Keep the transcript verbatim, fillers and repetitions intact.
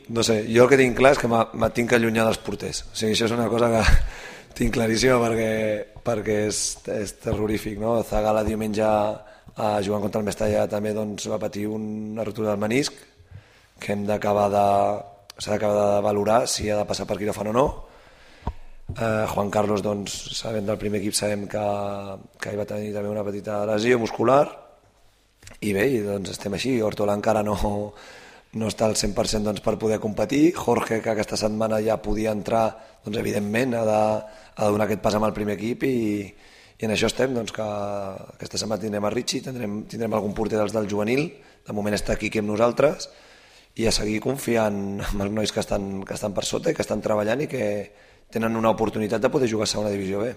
no sé, jo el que tinc clar és que me tinc que allunyar dels porters. O sigui, això és una cosa que tinc claríssima perquè, perquè és, és terrorífic, no? Zagala diumenge a jugant contra el Mestalla també doncs, va patir una rotura del menisc que hem d'acabar de s'ha d'acabar de valorar si ha de passar per quiròfan o no. Eh, Juan Carlos, doncs, sabent del primer equip, sabem que, que hi va tenir també una petita lesió muscular i bé, i, doncs estem així. Hortola encara no, no està al cent per cent doncs, per poder competir. Jorge, que aquesta setmana ja podia entrar, doncs evidentment ha de, ha de donar aquest pas amb el primer equip i, i en això estem, doncs, que aquesta setmana tindrem a Richie, tindrem, tindrem algun porter dels del juvenil, de moment està aquí amb nosaltres, i a seguir confiant en els nois que estan, que estan per sota i que estan treballant i que tenen una oportunitat de poder jugar a segona divisió B.